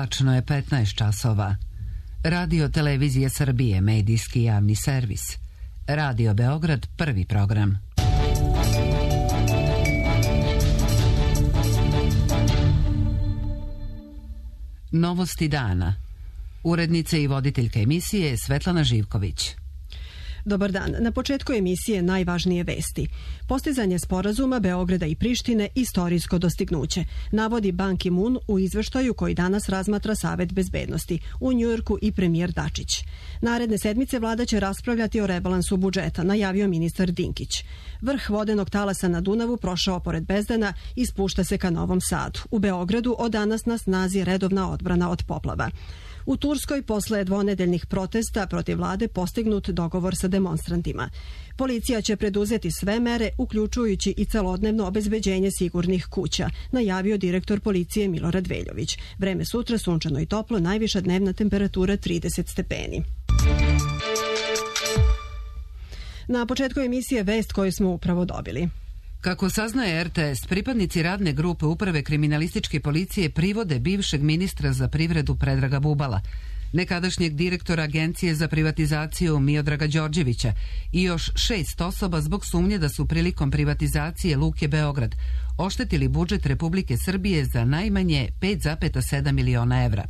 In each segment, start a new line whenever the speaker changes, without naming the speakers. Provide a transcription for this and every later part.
Tačno je 15 časova. Radio Televizije Srbije, medijski javni servis. Radio Beograd, prvi program. Novosti dana. Urednica i voditeljka emisije Svetlana Živković.
Dobar dan. Na početku emisije najvažnije vesti. Postizanje sporazuma Beograda i Prištine istorijsko dostignuće, navodi Ban Ki-moon u izveštaju koji danas razmatra Savet bezbednosti u Njujorku i premijer Dačić. Naredne sedmice vlada će raspravljati o rebalansu budžeta, najavio ministar Dinkić. Vrh vodenog talasa na Dunavu prošao pored Bezdana i spušta se ka Novom Sadu. U Beogradu od danas na snazi redovna odbrana od poplava. U Turskoj posle dvonedeljnih protesta protiv vlade postignut dogovor sa demonstrantima. Policija će preduzeti sve mere, uključujući i celodnevno obezbeđenje sigurnih kuća, najavio direktor policije Milorad Veljović. Vreme sutra sunčano i toplo, najviša dnevna temperatura 30 stepeni. Na početku emisije vest koju smo upravo dobili.
Kako saznaje RTS, pripadnici radne grupe Uprave kriminalističke policije privode bivšeg ministra za privredu Predraga Bubala, nekadašnjeg direktora Agencije za privatizaciju Miodraga Đorđevića i još 6 osoba zbog sumnje da su prilikom privatizacije Luke Beograd oštetili budžet Republike Srbije za najmanje 5,7 miliona evra.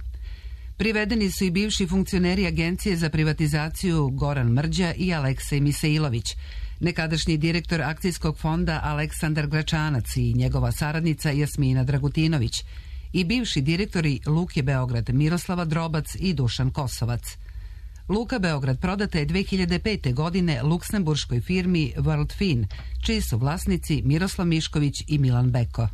Privedeni su i bivši funkcioneri Agencije za privatizaciju Goran Mrđa i Aleksej Misailović, nekadašnji direktor akcijskog fonda Aleksandar Gračanac i njegova saradnica Jasmina Dragutinović i bivši direktori Luke Beograd Miroslava Drobac i Dušan Kosovac. Luka Beograd prodata je 2005. godine luksemburškoj firmi Worldfin, čiji su vlasnici Miroslav Mišković i Milan Beko.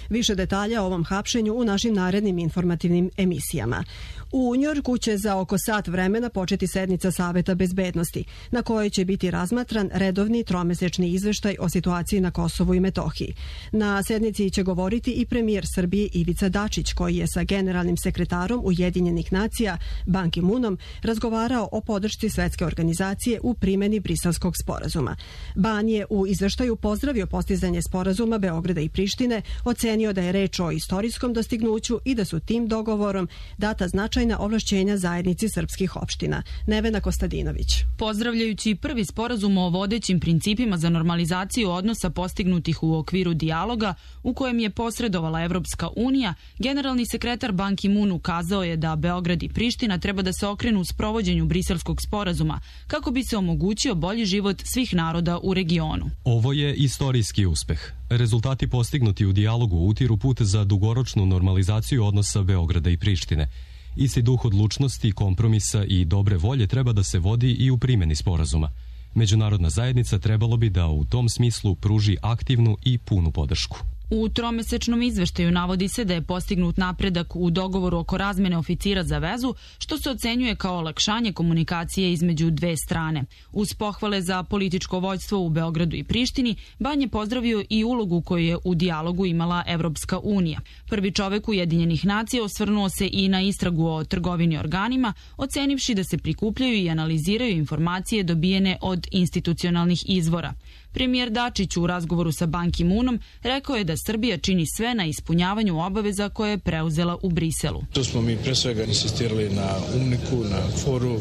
Više detalja o ovom hapšenju u našim narednim informativnim emisijama. U Njujorku će za oko sat vremena početi sednica Saveta bezbednosti, na kojoj će biti razmatran redovni tromesečni izveštaj o situaciji na Kosovu i Metohiji. Na sednici će govoriti i premijer Srbije Ivica Dačić, koji je sa generalnim sekretarom Ujedinjenih nacija Ban Ki-moonom razgovarao o podršci svetske organizacije u primjeni Briselskog sporazuma. Ban je u izveštaju pozdravio postizanje sporazuma Beograda i Prištine, ocenio da je reč o istorijskom dostignuću i da su tim dogovorom data značajna ovlašćenja zajednici srpskih opština. Nevena Kostadinović.
Pozdravljajući prvi sporazum o vodećim principima za normalizaciju odnosa postignutih u okviru dijaloga u kojem je posredovala Evropska unija, generalni sekretar Ban Ki-moon ukazao je da Beograd i Priština treba da se okrenu u sprovođenju Briselskog sporazuma kako bi se omogućio bolji život svih naroda u regionu.
Ovo je istorijski uspeh. Rezultati postignuti u dijalogu utiru put za dugoročnu normalizaciju odnosa Beograda i Prištine. Isti duh odlučnosti, kompromisa i dobre volje treba da se vodi i u primjeni sporazuma. Međunarodna zajednica trebalo bi da u tom smislu pruži aktivnu i punu podršku.
U tromesečnom izveštaju navodi se da je postignut napredak u dogovoru oko razmene oficira za vezu, što se ocenjuje kao olakšanje komunikacije između dve strane. Uz pohvale za političko vođstvo u Beogradu i Prištini, Ban je pozdravio i ulogu koju je u dijalogu imala Evropska unija. Prvi čovek Ujedinjenih nacija osvrnuo se i na istragu o trgovini organima, ocenivši da se prikupljaju i analiziraju informacije dobijene od institucionalnih izvora. Premijer Dačić u razgovoru sa Ban Ki-moonom rekao je da Srbija čini sve na ispunjavanju obaveza koje je preuzela u Briselu.
Tu smo mi pre svega insistirali na UNMIK-u, na FOR-u,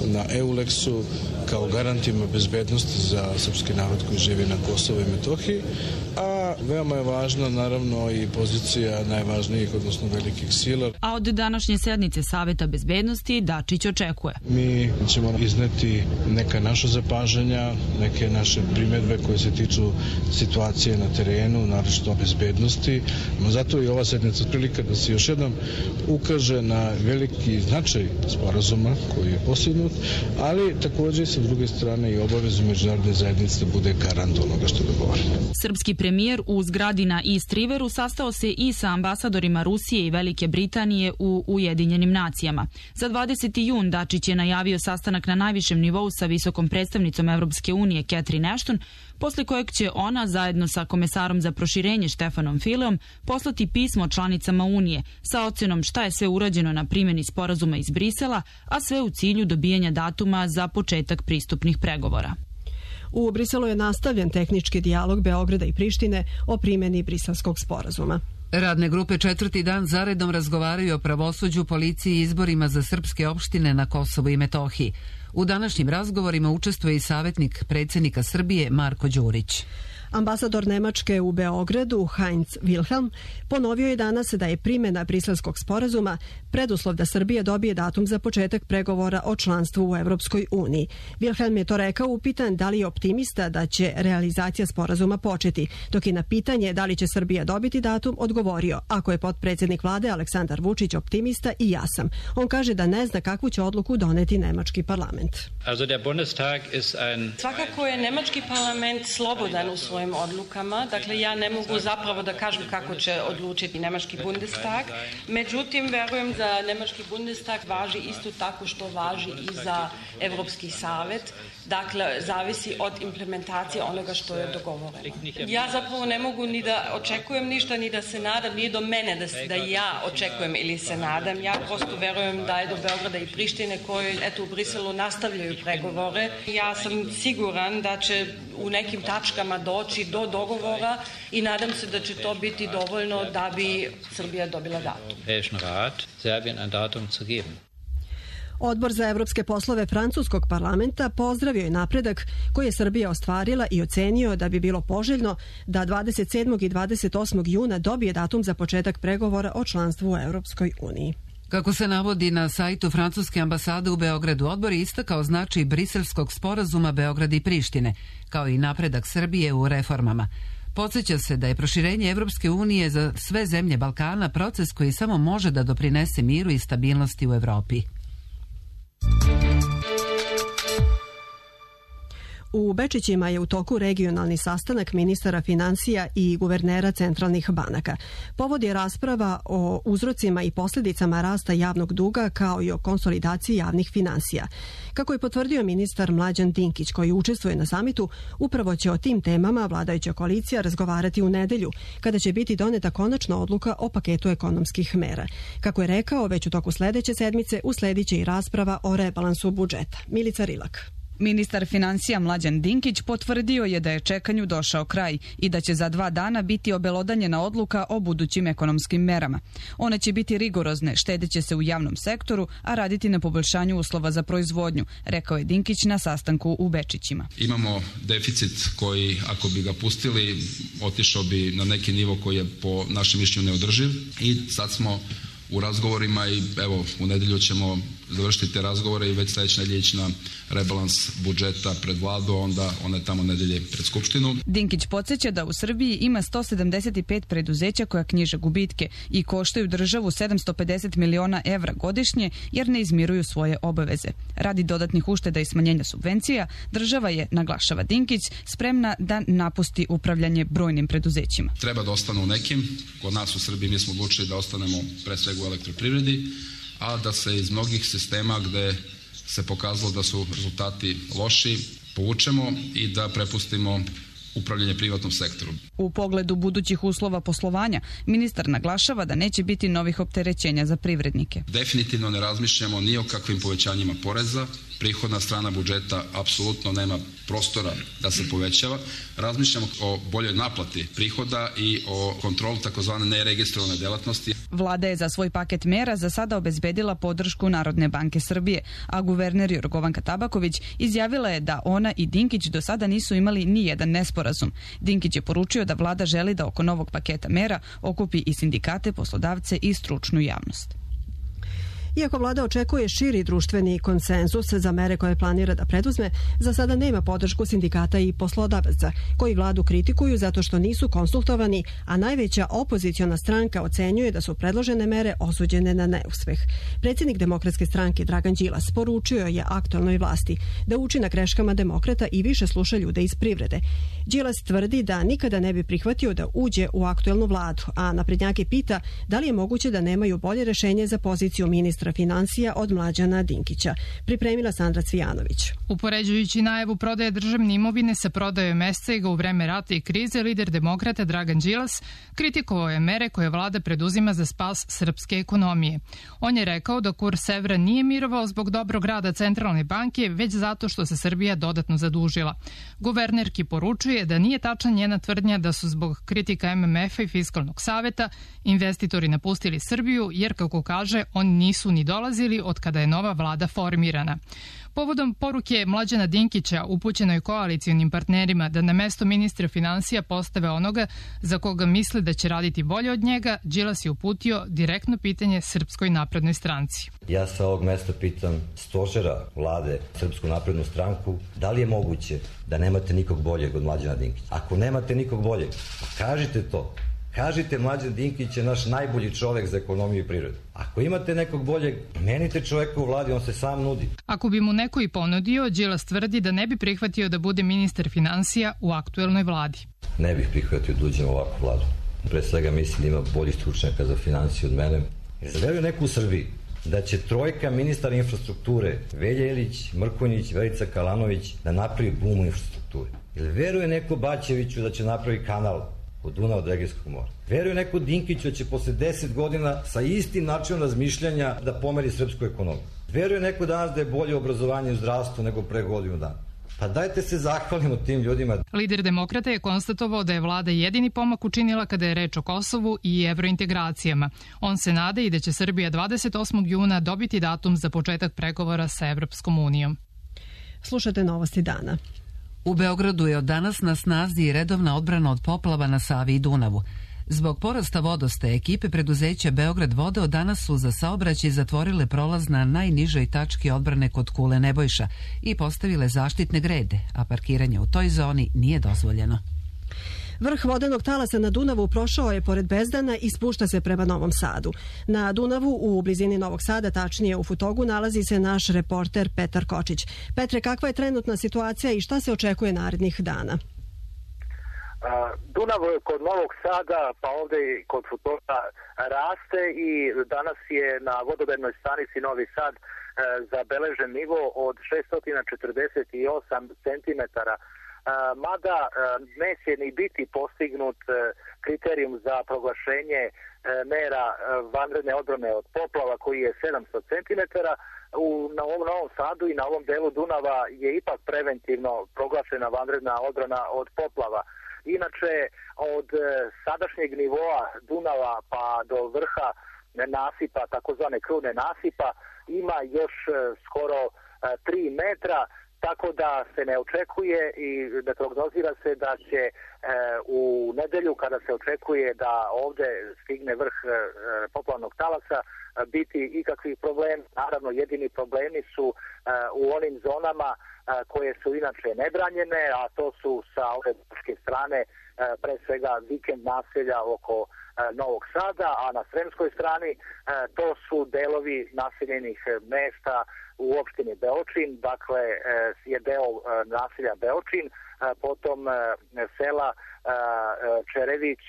na EULEX-u kao garantima bezbednosti za srpski narod koji živi na Kosovu i Metohiji, a veoma je važna naravno i pozicija najvažnijih, odnosno velikih sila.
A od današnje sednice Saveta bezbednosti Dačić očekuje.
Mi ćemo izneti neka naša zapažanja, neke naše primjedbe koje se tiču situacije na terenu, naročito bezbednosti. Zato je ova sednica prilika da se još jednom ukaže na veliki značaj sporazuma koji je postignut, ali također sa druge strane i obavezu međunarodne zajednice da bude garant onoga što je dogovoreno.
Srpski premijer u zgradi na East Riveru sastao se i sa ambasadorima Rusije i Velike Britanije u Ujedinjenim nacijama. Za 20. jun Dačić je najavio sastanak na najvišem nivou sa visokom predstavnicom Evropske unije Catherine Ashton, posle kojeg će ona zajedno sa komesarom za proširenje Štefanom Fileom poslati pismo članicama Unije sa ocenom šta je sve urađeno na primjeni sporazuma iz Brisela, a sve u cilju dobijanja datuma za početak pristupnih pregovora.
U Briselu je nastavljen tehnički dijalog Beograda i Prištine o primjeni Briselskog sporazuma.
Radne grupe četvrti dan zaredom razgovaraju o pravosuđu, policiji i izborima za srpske opštine na Kosovu i Metohiji. U današnjim razgovorima učestvuje i savjetnik predsjednika Srbije Marko Đurić.
Ambasador Nemačke u Beogradu, Heinz Wilhelm, ponovio je danas da je primjena Briselskog sporazuma preduslov da Srbija dobije datum za početak pregovora o članstvu u Evropskoj uniji. Wilhelm je to rekao upitan da li je optimista da će realizacija sporazuma početi, dok je na pitanje da li će Srbija dobiti datum odgovorio: ako je potpredsjednik vlade Aleksandar Vučić optimista, i ja sam. On kaže da ne zna kakvu će odluku doneti nemački parlament.
Svakako je nemački parlament slobodan u svojim odlukama, dakle ja ne mogu zapravo da kažem kako će odlučiti nemački Bundestag, međutim verujem da nemački Bundestag važi isto tako što važi i za Evropski savet, dakle zavisi od implementacije onoga što je dogovoreno. Ja zapravo ne mogu ni da očekujem ništa, ni da se nadam, nije do mene da ja očekujem ili se nadam, ja prosto verujem da je do Beograda i Prištine koji eto u Briselu nastavljaju pregovore. Ja sam siguran da će u nekim tačkama doći do dogovora i nadam se da će to biti dovoljno da bi Srbija dobila datum.
Odbor za evropske poslove francuskog parlamenta pozdravio je napredak koji je Srbija ostvarila i ocenio da bi bilo poželjno da 27. i 28. juna dobije datum za početak pregovora o članstvu u Evropskoj uniji.
Kako se navodi na sajtu francuske ambasade u Beogradu, odbor je istakao značaj Briselskog sporazuma Beograda i Prištine, kao i napredak Srbije u reformama. Podsjeća se da je proširenje Evropske unije za sve zemlje Balkana proces koji samo može da doprinese miru i stabilnosti u Evropi.
U Bečićima je u toku regionalni sastanak ministara finansija i guvernera centralnih banaka. Povod je rasprava o uzrocima i posljedicama rasta javnog duga kao i o konsolidaciji javnih finansija. Kako je potvrdio ministar Mlađan Dinkić koji učestvuje na samitu, upravo će o tim temama vladajuća koalicija razgovarati u nedelju, kada će biti doneta konačna odluka o paketu ekonomskih mera. Kako je rekao, već u toku sljedeće sedmice usledit će i rasprava o rebalansu budžeta. Milica Rilak.
Ministar finansija Mlađan Dinkić potvrdio je da je čekanju došao kraj i da će za 2 dana biti obelodanjena odluka o budućim ekonomskim merama. One će biti rigorozne, štedeće se u javnom sektoru, a raditi na poboljšanju uslova za proizvodnju, rekao je Dinkić na sastanku u Bečićima.
Imamo deficit koji, ako bi ga pustili, otišao bi na neki nivo koji je po našem mišljenju neodrživ i sad smo u razgovorima i evo u nedjelju ćemo završiti te razgovore i već sljedeće nedjelje ići na rebalans budžeta pred vladu, onda one tamo nedjelje pred skupštinu.
Dinkić podsjeća da u Srbiji ima 175 preduzeća koja knjiže gubitke i koštaju državu 750 miliona evra godišnje jer ne izmiruju svoje obaveze. Radi dodatnih ušteda i smanjenja subvencija, država je, naglašava Dinkić, spremna da napusti upravljanje brojnim preduzećima.
Treba da ostanu u nekim. Kod nas u Srbiji mi smo odlučili da ostanemo pre svega u elektroprivredi, a da se iz mnogih sistema gde se pokazalo da su rezultati loši povučemo i da prepustimo upravljanje privatnom sektoru.
U pogledu budućih uslova poslovanja, ministar naglašava da neće biti novih opterećenja za privrednike.
Definitivno ne razmišljamo ni o kakvim povećanjima poreza. Prihodna strana budžeta apsolutno nema prostora da se povećava. Razmišljamo o boljoj naplati prihoda i o kontrolu takozvane neregistrovane delatnosti.
Vlada je za svoj paket mera za sada obezbedila podršku Narodne banke Srbije, a guverner Jorgovanka Tabaković izjavila je da ona i Dinkić do sada nisu imali ni jedan nesporazum. Dinkić je poručio da vlada želi da oko novog paketa mera okupi i sindikate, poslodavce i stručnu javnost.
Iako vlada očekuje širi društveni konsenzus za mere koje planira da preduzme, za sada nema podršku sindikata i poslodavaca, koji vladu kritikuju zato što nisu konsultovani, a najveća opoziciona stranka ocenjuje da su predložene mere osuđene na neuspeh. Predsjednik Demokratske stranke Dragan Đilas poručio je aktualnoj vlasti da uči na greškama demokrata i više sluša ljude iz privrede. Đilas tvrdi da nikada ne bi prihvatio da uđe u aktualnu vladu, a naprednjake pita da li je moguće da nemaju bolje rešenje za poziciju ministra ministra financija od Mlađana Dinkića. Pripremila Sandra Cvijanović.
Upoređujući najavu prodaje državne imovine sa prodajom SCG u vreme rata i krize, lider demokrata Dragan Đilas kritikovao je mere koje vlada preduzima za spas srpske ekonomije. On je rekao da kurs evra nije mirovao zbog dobrog rada centralne banke, već zato što se Srbija dodatno zadužila. Guvernerki poručuje da nije tačna njena tvrdnja da su zbog kritika MMF-a i Fiskalnog saveta investitori napustili Srbiju, jer, kako kaže, oni nisu ni dolazili od kada je nova vlada formirana. Povodom poruke Mlađana Dinkića upućenoj koalicionim partnerima da na mesto ministra finansija postave onoga za koga misle da će raditi bolje od njega, Đilas je uputio direktno pitanje Srpskoj naprednoj stranci.
Ja sa ovog mesta pitam stožera vlade Srpsku naprednu stranku, da li je moguće da nemate nikog boljeg od Mlađana Dinkića? Ako nemate nikog boljeg, kažite to. Kažite, Mlađan Dinkić je naš najbolji čovek za ekonomiju i prirodu. Ako imate nekog boljeg, menite čoveka u vladi, on se sam nudi.
Ako bi mu neko i ponudio, Đilas tvrdi da ne bi prihvatio da bude ministar finansija u aktuelnoj vladi.
Ne bih prihvatio da uđem u ovakvu vladu. Pre svega mislim da ima bolji stručnjaka za finansiju od mene. Jer veruje neko u Srbiji da će trojka ministara infrastrukture, Velja Ilić, Mrkonjić, Verica Kalanović, da napravi bum u infrastrukturi. Jer veruje neko Bačeviću da će napravi kanal od Dunava do Egejskog mora. Veruje neko Dinkiću da će posle 10 godina sa istim načinom razmišljanja da pomeri srpsku ekonomiju. Veruje neko danas da je bolje obrazovanje u zdravstvu nego pre godinu dana. Pa dajte se zahvalimo tim ljudima.
Lider demokrata je konstatovao da je vlada jedini pomak učinila kada je reč o Kosovu i evrointegracijama. On se nada i da će Srbija 28. juna dobiti datum za početak pregovora sa Evropskom unijom.
Slušate novosti dana.
U Beogradu je od danas na snazi redovna odbrana od poplava na Savi i Dunavu. Zbog porasta vodostaja, ekipe preduzeća Beograd vode od danas su za saobraćaj zatvorile prolaz na najnižoj tački odbrane kod Kule Nebojša i postavile zaštitne grede, a parkiranje u toj zoni nije dozvoljeno.
Vrh vodenog talasa na Dunavu prošao je pored Bezdana i spušta se prema Novom Sadu. Na Dunavu, u blizini Novog Sada, tačnije u Futogu, nalazi se naš reporter Petar Kočić. Petre, kakva je trenutna situacija i šta se očekuje narednih dana?
Dunav kod Novog Sada, pa ovde i kod Futoga raste i danas je na vodovednoj stanici Novi Sad zabeležen nivo od 648 centimetara. Mada neće ni biti postignut kriterijum za proglašenje mera vanredne odbrane od poplava koji je 700 cm, na ovom Novom Sadu i na ovom delu Dunava je ipak preventivno proglašena vanredna odbrana od poplava. Inače, od sadašnjeg nivoa Dunava pa do vrha nasipa, takozvane krune nasipa, ima još skoro 3 metra, tako da se ne očekuje i da prognozira se da će u nedelju, kada se očekuje da ovde stigne vrh poplavnog talasa, biti ikakvih problema. Naravno, jedini problemi su u onim zonama koje su inače nebranjene, a to su sa ove buške strane, pre svega vikend naselja oko Novog Sada, a na sremskoj strani to su delovi naseljenih mesta u opštini Beočin, dakle je deo naselja Beočin, potom sela Čerević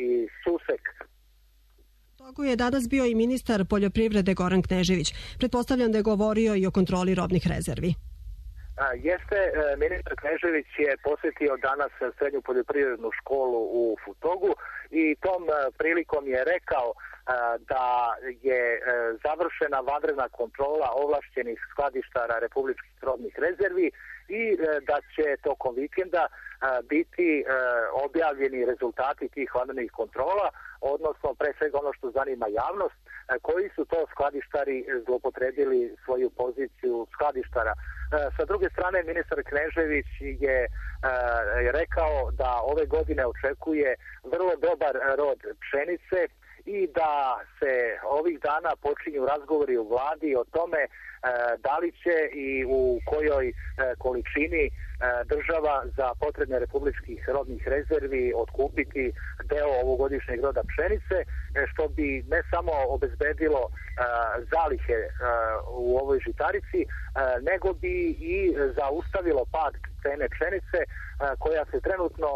i Susek.
Togu je danas bio i ministar poljoprivrede Goran Knežević. Pretpostavljam da je govorio i o kontroli robnih rezervi.
Jeste, ministar Knežević je posjetio danas srednju poljoprivrednu školu u Futogu i tom prilikom je rekao da je završena vanredna kontrola ovlašćenih skladištara republičkih robnih rezervi i da će tokom vikenda biti objavljeni rezultati tih vanrednih kontrola, odnosno pre svega ono što zanima javnost, koji su to skladištari zlopotrebili svoju poziciju skladištara. Sa druge strane, ministar Knežević je rekao da ove godine očekuje vrlo dobar rod pšenice i da se ovih dana počinju razgovori u vladi o tome da li će i u kojoj količini država za potrebne republičkih robnih rezervi otkupiti deo ovogodišnjeg roda pšenice, što bi ne samo obezbedilo zalihe u ovoj žitarici, nego bi i zaustavilo pad cene pšenice koja se trenutno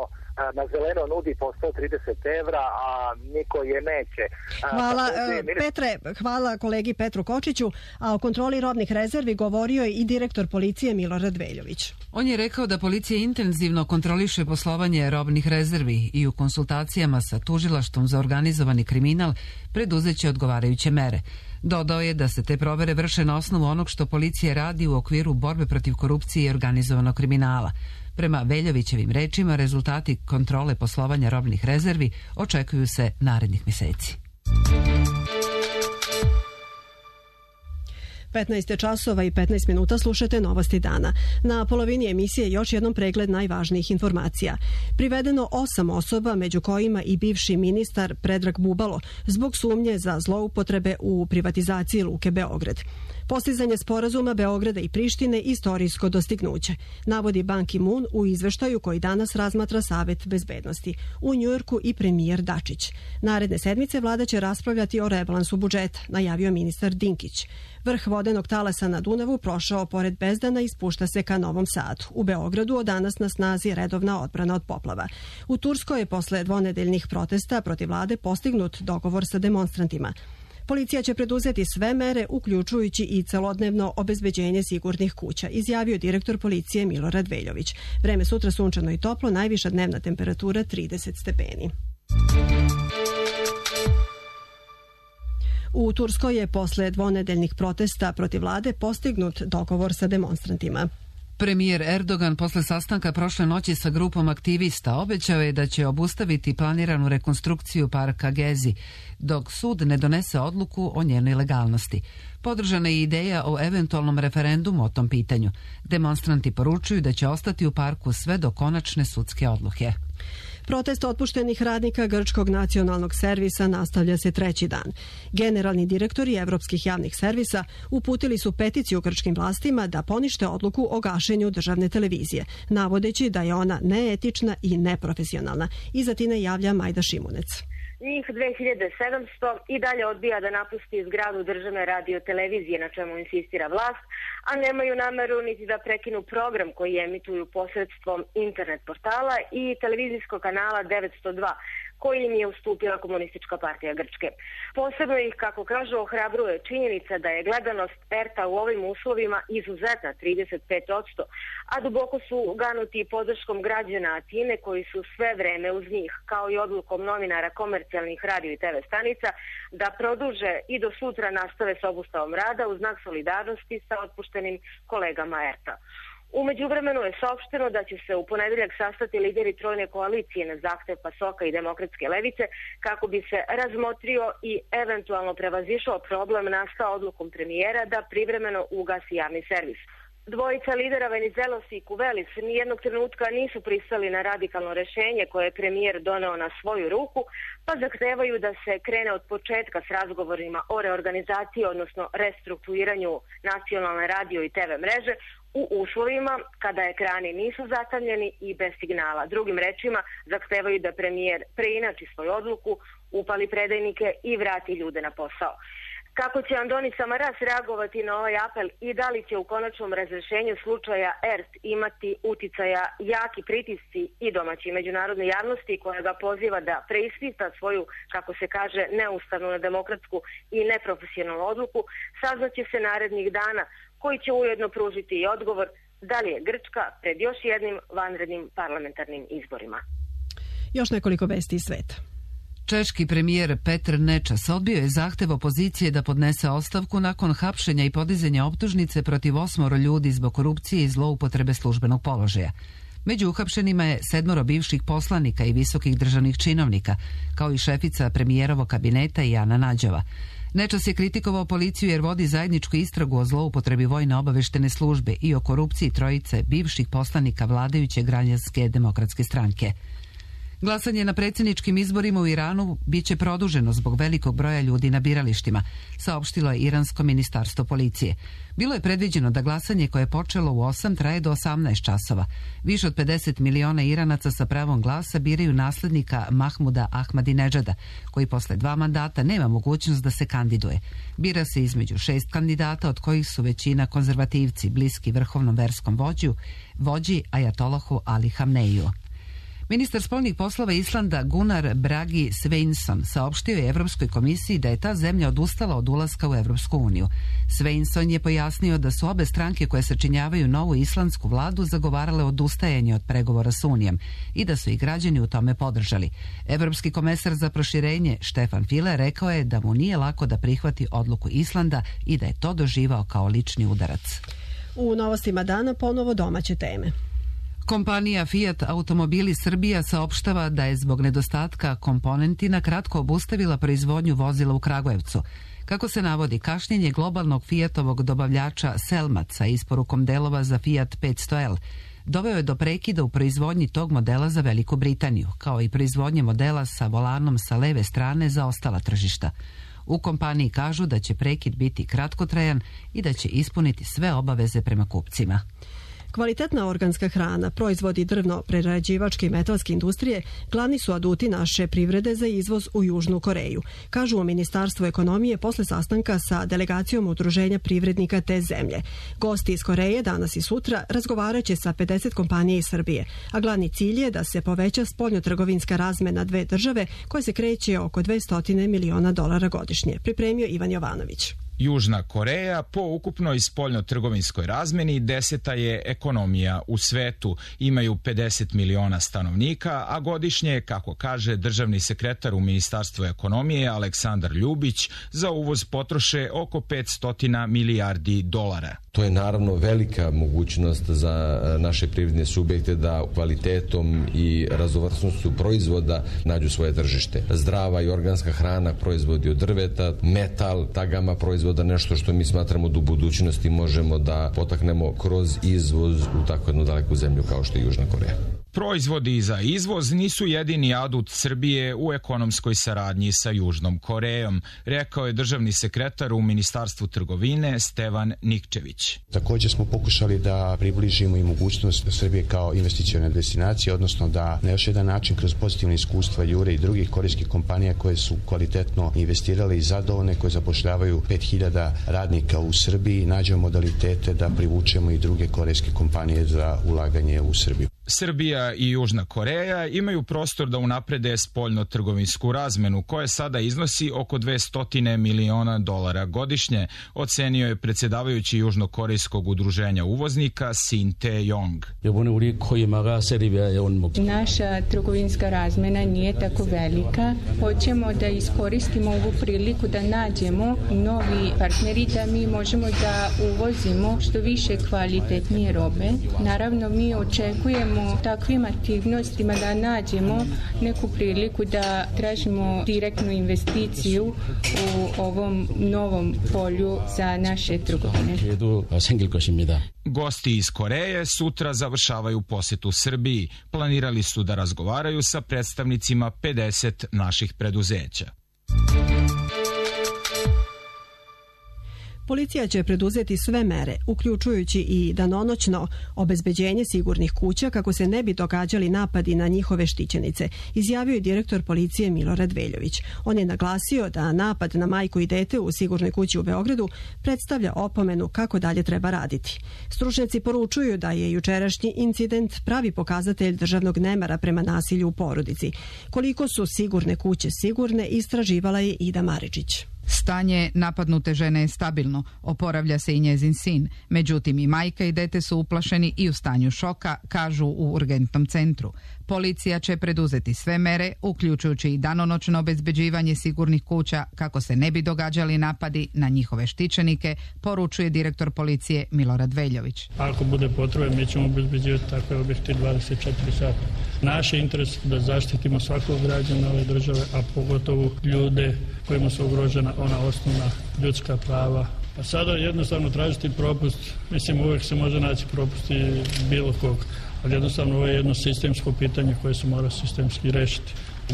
na zeleno nudi po 130 evra, a niko je neće.
Hvala Petre, hvala kolegi Petru Kočiću, a o kontroli robnih rezervi govorio je i direktor policije Milorad Veljović.
On je rekao da policija intenzivno kontroliše poslovanje robnih rezervi i u konsultacijama sa tužilaštvom za organizovani kriminal preduzeće odgovarajuće mere. Dodao je da se te provere vrše na osnovu onog što policija radi u okviru borbe protiv korupcije i organizovanog kriminala. Prema Veljovićevim rečima, rezultati kontrole poslovanja robnih rezervi očekuju se narednih mjeseci.
15 časova i 15 minuta slušate Novosti dana. Na polovini emisije još jednom pregled najvažnijih informacija. Privedeno 8 osoba, među kojima i bivši ministar Predrag Bubalo, zbog sumnje za zloupotrebe u privatizaciji Luke Beograd. Postizanje sporazuma Beograda i Prištine istorijsko dostignuće, navodi Ban Ki-moon u izveštaju koji danas razmatra Savet bezbednosti. U Njujorku i premijer Dačić. Naredne sedmice vlada će raspravljati o rebalansu budžeta, najavio ministar Dinkić. Vrh vodenog talasa na Dunavu prošao pored Bezdana i spušta se ka Novom Sadu. U Beogradu od danas na snazi redovna odbrana od poplava. U Turskoj je posle dvonedeljnih protesta protiv vlade postignut dogovor sa demonstrantima. Policija će preduzeti sve mere, uključujući i celodnevno obezbeđenje sigurnih kuća, izjavio direktor policije Milorad Veljović. Vreme sutra sunčano i toplo, najviša dnevna temperatura 30 stepeni. U Turskoj je posle dvonedeljnih protesta protiv vlade postignut dogovor sa demonstrantima.
Premijer Erdogan posle sastanka prošle noći sa grupom aktivista obećao je da će obustaviti planiranu rekonstrukciju parka Gezi, dok sud ne donese odluku o njenoj legalnosti. Podržana je ideja o eventualnom referendumu o tom pitanju. Demonstranti poručuju da će ostati u parku sve do konačne sudske odluke.
Protest otpuštenih radnika Grčkog nacionalnog servisa nastavlja se treći dan. Generalni direktori evropskih javnih servisa uputili su peticiju grčkim vlastima da ponište odluku o gašenju državne televizije, navodeći da je ona neetična i neprofesionalna. Iza tine javlja Majda Šimunec.
Njih 2700 i dalje odbija da napusti zgradu državne radiotelevizije, na čemu insistira vlast, a nemaju nameru niti da prekinu program koji emituju posredstvom internet portala i televizijskog kanala 902, koji im je ustupila Komunistička partija Grčke. Posebno ih, kako kažu, ohrabruje činjenica da je gledanost ERTA u ovim uslovima izuzetna, 35%, a duboko su ganuti podrškom građana Atine koji su sve vreme uz njih, kao i odlukom novinara komercijalnih radio i TV stanica da produže i do sutra nastave s obustavom rada u znak solidarnosti sa otpuštenim kolegama ERTA. U međuvremenu je saopšteno da će se u ponedeljak sastati lideri trojne koalicije na zahtev PASOK-a i Demokratske levice kako bi se razmotrio i eventualno prevazišao problem nastao odlukom premijera da privremeno ugasi javni servis. Dvojica lidera Venizelos i Kuvelis nijednog trenutka nisu pristali na radikalno rešenje koje je premijer doneo na svoju ruku, pa zahtevaju da se krene od početka s razgovorima o reorganizaciji, odnosno restrukturiranju nacionalne radio i TV mreže u uslovima kada ekrani nisu zatamljeni i bez signala. Drugim rečima, zahtevaju da premijer preinači svoju odluku, upali predajnike i vrati ljude na posao. Kako će Andoni Samaras reagovati na ovaj apel i da li će u konačnom razrešenju slučaja ERT imati uticaja jaki pritisci i domaći međunarodne javnosti koja ga poziva da preispita svoju, kako se kaže, neustavnu, nedemokratsku i neprofesionalnu odluku, saznaće se narednih dana, koji će ujedno pružiti i odgovor da li je Grčka pred još jednim vanrednim parlamentarnim izborima.
Još nekoliko vesti iz sveta.
Češki premijer Petr Nečas odbio je zahtev opozicije da podnese ostavku nakon hapšenja i podizanja optužnice protiv 8 ljudi zbog korupcije i zloupotrebe službenog položaja. Među uhapšenima je 7 bivših poslanika i visokih državnih činovnika, kao i šefica premijerovog kabineta Jana Nađova. Nečas je kritikovao policiju jer vodi zajedničku istragu o zloupotrebi vojne obaveštene službe i o korupciji trojice bivših poslanika vladajuće Građanske demokratske stranke. Glasanje na predsjedničkim izborima u Iranu biće produženo zbog velikog broja ljudi na biralištima, saopštilo je Iransko ministarstvo policije. Bilo je predviđeno da glasanje koje je počelo u 8 traje do 18 časova. Više od 50 miliona Iranaca sa pravom glasa biraju naslednika Mahmuda Ahmadinedžada, koji posle 2 mandata nema mogućnost da se kandiduje. Bira se između 6 kandidata, od kojih su većina konzervativci, bliski vrhovnom verskom vođi Ajatolahu Ali Hamneiju. Ministar spoljnih poslova Islanda Gunnar Bragi Sveinsson saopštio je Evropskoj komisiji da je ta zemlja odustala od ulaska u Evropsku uniju. Sveinsson je pojasnio da su obe stranke koje sačinjavaju novu islandsku vladu zagovarale odustajanje od pregovora s Unijem i da su i građani u tome podržali. Evropski komesar za proširenje Stefan Füle rekao je da mu nije lako da prihvati odluku Islanda i da je to doživao kao lični udarac.
U novostima dana ponovo domaće teme.
Kompanija Fiat Automobili Srbija saopštava da je zbog nedostatka komponenti na kratko obustavila proizvodnju vozila u Kragujevcu. Kako se navodi, kašnjenje globalnog Fiatovog dobavljača Selmat sa isporukom delova za Fiat 500L doveo je do prekida u proizvodnji tog modela za Veliku Britaniju, kao i proizvodnje modela sa volanom sa leve strane za ostala tržišta. U kompaniji kažu da će prekid biti kratkotrajan i da će ispuniti sve obaveze prema kupcima.
Kvalitetna organska hrana, proizvodi drvno-prerađivačke i metalske industrije glavni su aduti naše privrede za izvoz u Južnu Koreju, kažu u Ministarstvu ekonomije posle sastanka sa delegacijom udruženja privrednika te zemlje. Gosti iz Koreje danas i sutra razgovaraće sa 50 kompanija iz Srbije, a glavni cilj je da se poveća spoljnotrgovinska razmena dve države koja se kreće oko $200 miliona godišnje, pripremio Ivan Jovanović.
Južna Koreja po ukupnoj spoljno-trgovinskoj razmeni 10. je ekonomija u svetu. Imaju 50 miliona stanovnika, a godišnje, kako kaže državni sekretar u Ministarstvu ekonomije Aleksandar Ljubić, za uvoz potroše oko $500 milijardi.
To je naravno velika mogućnost za naše privredne subjekte da kvalitetom i raznovrsnošću proizvoda nađu svoje tržište. Zdrava i organska hrana, proizvodi od drveta, metal, ta gama proizvoda, nešto što mi smatramo da u budućnosti možemo da potaknemo kroz izvoz u tako jednu daleku zemlju kao što je Južna Koreja.
Proizvodi za izvoz nisu jedini adut Srbije u ekonomskoj saradnji sa Južnom Korejom, rekao je državni sekretar u Ministarstvu trgovine Stevan Nikčević.
Također smo pokušali da približimo i mogućnost Srbije kao investicione destinacije, odnosno da na još jedan način kroz pozitivne iskustva Jure i drugih korejskih kompanija koje su kvalitetno investirale i zadovoljne, koje zapošljavaju 5000 radnika u Srbiji, nađemo modalitete da privučemo i druge korejske kompanije za ulaganje u Srbiju.
Srbija i Južna Koreja imaju prostor da unaprede spoljno-trgovinsku razmenu, koja sada iznosi oko $200 miliona godišnje, ocenio je predsjedavajući Južnokorejskog udruženja uvoznika Sin Tae-yong.
Naša trgovinska razmena nije tako velika. Hoćemo da iskoristimo ovu priliku da nađemo novi partneri, da mi možemo da uvozimo što više kvalitetnije robe. Naravno, mi očekujemo takvim aktivnostima da nađemo neku priliku da tražimo direktnu investiciju u ovom novom polju za naše trgovine.
Gosti iz Koreje sutra završavaju posetu Srbiji. Planirali su da razgovaraju sa predstavnicima 50 naših preduzeća.
Policija će preduzeti sve mere, uključujući i danonoćno obezbeđenje sigurnih kuća kako se ne bi događali napadi na njihove štićenice, izjavio je direktor policije Milorad Veljović. On je naglasio da napad na majku i dete u sigurnoj kući u Beogradu predstavlja opomenu kako dalje treba raditi. Stručnjaci poručuju da je jučerašnji incident pravi pokazatelj državnog nemara prema nasilju u porodici. Koliko su sigurne kuće sigurne, istraživala je Ida Maričić.
Stanje napadnute žene je stabilno, oporavlja se i njezin sin. Međutim, i majka i dete su uplašeni i u stanju šoka, kažu u urgentnom centru. Policija će preduzeti sve mere, uključujući i danonoćno obezbeđivanje sigurnih kuća kako se ne bi događali napadi na njihove štićenike, poručuje direktor policije Milorad Veljović.
Ako bude potrebe, mi ćemo obezbeđivati takve objekte 24 sata. Naš je interes da zaštitimo svakog građana ove države, a pogotovo ljude kojima su ugrožena ona osnovna ljudska prava. A sada jednostavno tražiti propust, mislim uvijek se može naći propust i bilo kog, ali jednostavno ovo je jedno sistemsko pitanje koje se mora sistemski rešiti.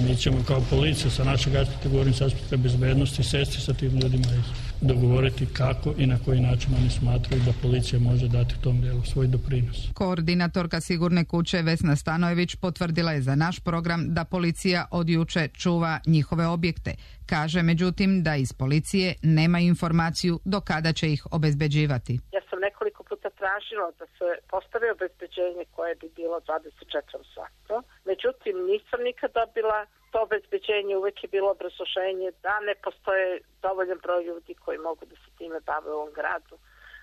Mi ćemo kao policija sa našeg aspekta, govorim sa aspekta bezbednosti, sesti sa tim ljudima i dogovoriti kako i na koji način oni smatraju da policija može dati tom dijelu svoj doprinos.
Koordinatorka Sigurne kuće Vesna Stanojević potvrdila je za naš program da policija od juče čuva njihove objekte. Kaže međutim da iz policije nema informaciju do kada će ih obezbeđivati.
Ja sam nekoliko puta tražila da se postavi obezbeđenje koje bi bilo 24 sata. Međutim, nisam nikad dobila to obezbeđenje, uvek je bilo obrazloženje da ne postoje dovoljan broj ljudi koji mogu da se time bave u ovom gradu.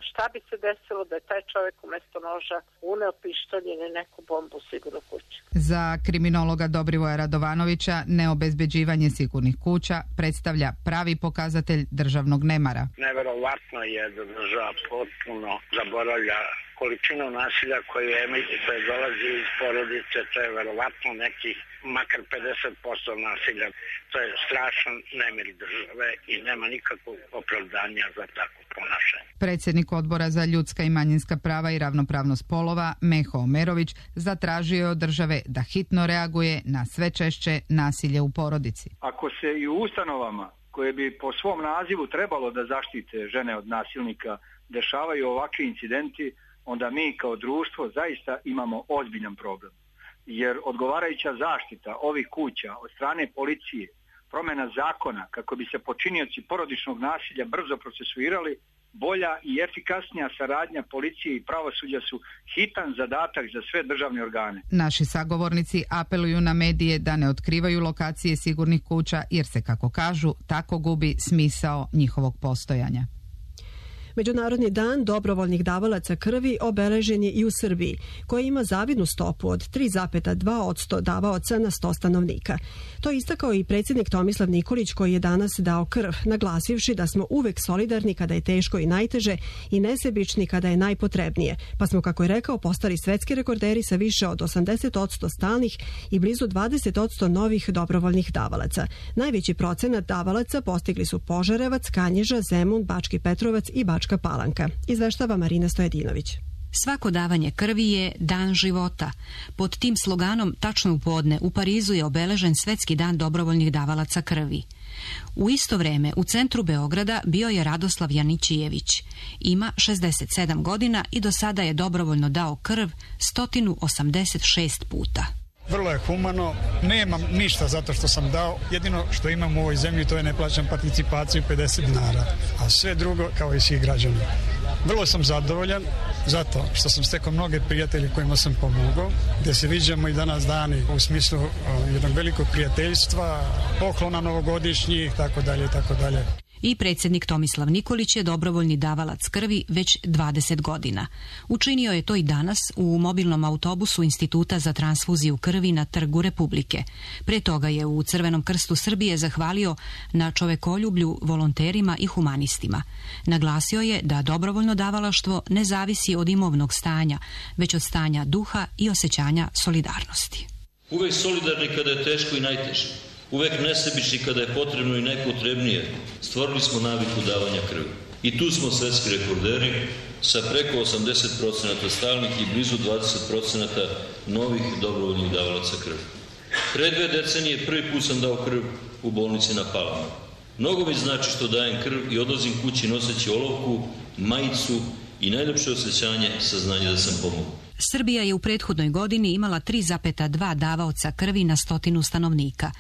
Šta bi se desilo da je taj čovjek umjesto noža uneo pištolj ili neku bombu u sigurnu kuću?
Za kriminologa Dobrivoja Radovanovića neobezbeđivanje sigurnih kuća predstavlja pravi pokazatelj državnog nemara.
Neverovatno je da država potpuno zaboravlja količinu nasilja koje dolazi iz porodice, to je verovatno nekih makar 50% nasilja. To je strašan nemir države i nema nikakvog opravdanja za takvo ponašanje.
Predsjednik Odbora za ljudska i manjinska prava i ravnopravnost polova, Meho Omerović, zatražio je od države da hitno reaguje na sve češće nasilje u porodici.
Ako se i u ustanovama koje bi po svom nazivu trebalo da zaštite žene od nasilnika dešavaju ovakvi incidenti, onda mi kao društvo zaista imamo ozbiljan problem. Jer odgovarajuća zaštita ovih kuća od strane policije, promjena zakona kako bi se počinioci porodičnog nasilja brzo procesuirali, bolja i efikasnija saradnja policije i pravosuđa su hitan zadatak za sve državne organe.
Naši sagovornici apeluju na medije da ne otkrivaju lokacije sigurnih kuća jer se, kako kažu, tako gubi smisao njihovog postojanja.
Međunarodni dan dobrovoljnih davalaca krvi obeležen je i u Srbiji, koja ima zavidnu stopu od 3,2% davaoca na 100 stanovnika. To je istakao i predsjednik Tomislav Nikolić, koji je danas dao krv, naglasivši da smo uvek solidarni kada je teško i najteže i nesebični kada je najpotrebnije, pa smo, kako je rekao, postali svetski rekorderi sa više od 80% stalnih i blizu 20% novih dobrovoljnih davalaca. Najveći procenat davalaca postigli su Požarevac, Kanjiža, Zemun, Bački Petrovac i Bačka Palanka. Izveštava Marina Stojedinović.
Svako davanje krvi je dan života. Pod tim sloganom tačno u podne u Parizu je obeležen Svetski dan dobrovoljnih davalaca krvi. U isto vreme u centru Beograda bio je Radoslav Janićijević. Ima 67 godina i do sada je dobrovoljno dao krv 186 puta.
Vrlo je humano, nemam ništa zato što sam dao, jedino što imam u ovoj zemlji to je ne plaćam participaciju 50 dinara, a sve drugo kao i svih građana. Vrlo sam zadovoljan zato što sam stekao mnoge prijatelje kojima sam pomogao, gdje se viđamo i danas dani u smislu jednog velikog prijateljstva, poklona novogodišnjih, tako dalje, tako dalje.
I predsjednik Tomislav Nikolić je dobrovoljni davalac krvi već 20 godina. Učinio je to i danas u mobilnom autobusu Instituta za transfuziju krvi na Trgu Republike. Pre toga je u Crvenom krstu Srbije zahvalio na čovekoljublju volonterima i humanistima. Naglasio je da dobrovoljno davalaštvo ne zavisi od imovnog stanja, već od stanja duha i osjećanja solidarnosti.
Uvek solidarni kada je teško i najteže. Uvek nesebični kada je potrebno i najpotrebnije. Stvorili smo naviku davanja krvi. I tu smo svetski rekorderi sa preko 80% stalnih i blizu 20% novih dobrovoljnih davalaca krvi. Pre 2 decenije prvi put sam dao krv u bolnici na Palama. Mnogo mi znači što dajem krv i odlazim kući noseći olovku, majicu i najljepše osjećanje saznanje da sam pomogao.
Srbija je u prethodnoj godini imala 3,2 davaoca krvi na 100 stanovnika.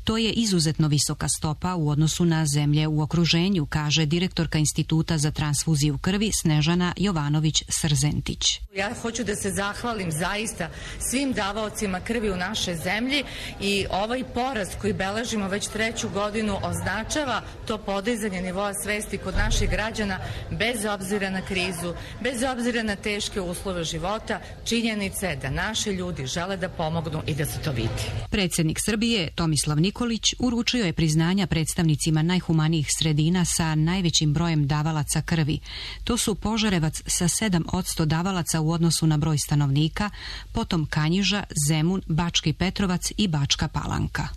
To je izuzetno visoka stopa u odnosu na zemlje u okruženju, kaže direktorka Instituta za transfuziju krvi Snežana Jovanović-Srzentić.
Ja hoću da se zahvalim zaista svim davaocima krvi u našoj zemlji i ovaj porast koji beležimo već 3. godinu označava to podizanje nivoa svesti kod naših građana bez obzira na krizu, bez obzira na teške uslove života. Činjenica je da naši ljudi žele da pomognu i da se to vidi.
Predsjednik Srbije Tomislav Nikolić uručio je priznanja predstavnicima najhumanijih sredina sa najvećim brojem davalaca krvi. To su Požarevac sa 7% davalaca u odnosu na broj stanovnika, potom Kanjiža, Zemun, Bački Petrovac i Bačka Palanka.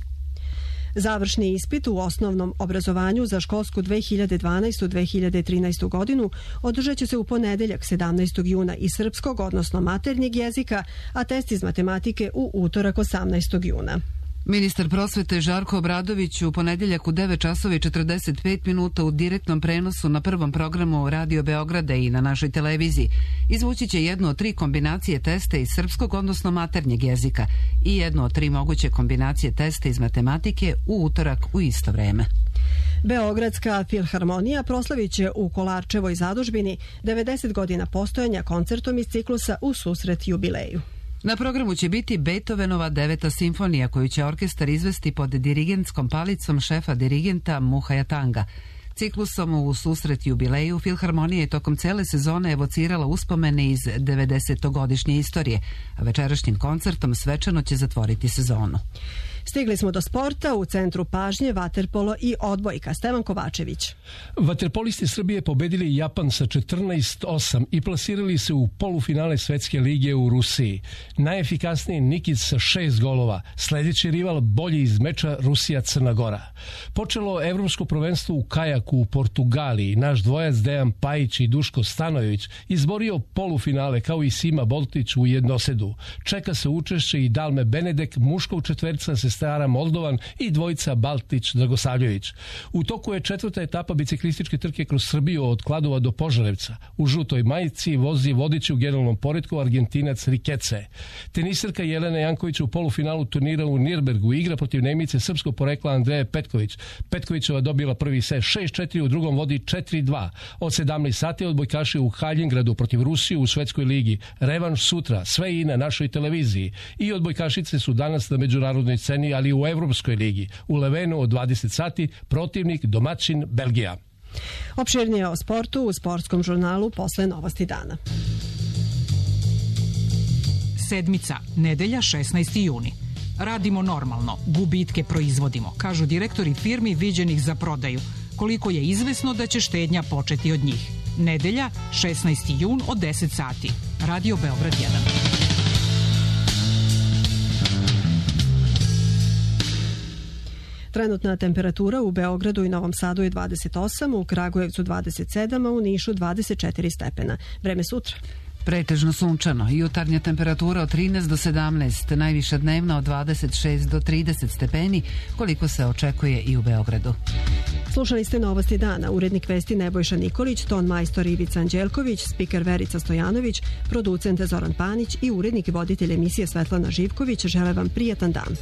Završni ispit u osnovnom obrazovanju za školsku 2012-2013 godinu održat će se u ponedeljak 17. juna iz srpskog, odnosno maternjeg jezika, a test iz matematike u utorak 18. juna.
Ministar prosvete Žarko Obradović u ponedjeljak u 9:45 u direktnom prenosu na prvom programu Radio Beograda i na našoj televiziji izvući će jednu od 3 kombinacije testa iz srpskog, odnosno maternjeg jezika i jednu od 3 moguće kombinacije testa iz matematike u utorak u isto vreme.
Beogradska filharmonija proslavit će u Kolarčevoj zadužbini 90 godina postojanja koncertom iz ciklusa U susret jubileju.
Na programu će biti Beethovenova 9. simfonija koju će orkestar izvesti pod dirigentskom palicom šefa dirigenta Muhaja Tanga. Ciklusom u susret jubileju Filharmonija je tokom cele sezone evocirala uspomene iz 90-godišnje istorije, a večerašnjim koncertom svečano će zatvoriti sezonu.
Stigli smo do sporta, u centru pažnje vaterpolo i odbojka. Stevan Kovačević.
Vaterpolisti Srbije pobedili Japan sa 14-8 i plasirali se u polufinale Svetske lige u Rusiji. Najefikasniji Nikić sa 6 golova, sledeći rival bolji iz meča Rusija-Crna Gora. Počelo evropsko prvenstvo u kajaku u Portugaliji. Naš dvojac Dejan Pajić i Duško Stanojević izborio polufinale kao i Sima Boltić u jednosedu. Čeka se učešće i Dalme Benedek, muškog četverca Sestara Moldovan i dvojica Baltić Dragosavljević. U toku je 4. etapa biciklističke trke kroz Srbiju od Kladova do Požarevca. U žutoj majici vozi vodiči u generalnom poretku Argentinac Rikece. Tenisirka Jelena Janković u polufinalu turnira u Nirnbergu igra protiv Nemice srpskog porekla Andreje Petković. Petkovićeva dobila prvi set 6-4, u drugom vodi 4-2. Od 17 sati odbojkaši u Haljengradu protiv Rusije u Svetskoj ligi. Revanš sutra, sve i na našoj televiziji. I odbojkašice su danas na međunarodnoj sceni, ali u Evropskoj ligi. U Levenu od 20 sati protivnik domaćin Belgija.
Opširnije o sportu u sportskom žurnalu posle Novosti dana.
Sedmica, nedelja 16. juni. Radimo normalno, gubitke proizvodimo, kažu direktori firmi viđenih za prodaju. Koliko je izvesno da će štednja početi od njih. Nedelja, 16. jun od 10 sati. Radio Beograd 1.
Trenutna temperatura u Beogradu i Novom Sadu je 28, u Kragujevcu 27, a u Nišu 24 stepena. Vreme sutra.
Pretežno sunčano, jutarnja temperatura od 13 do 17, najviša dnevna od 26 do 30 stepeni, koliko se očekuje i u Beogradu.
Slušali ste Novosti dana, urednik vesti Nebojša Nikolić, ton majstor Ivica Anđelković, spiker Verica Stojanović, producent Zoran Panić i urednik i voditelj emisije Svetlana Živković žele vam prijatan dan.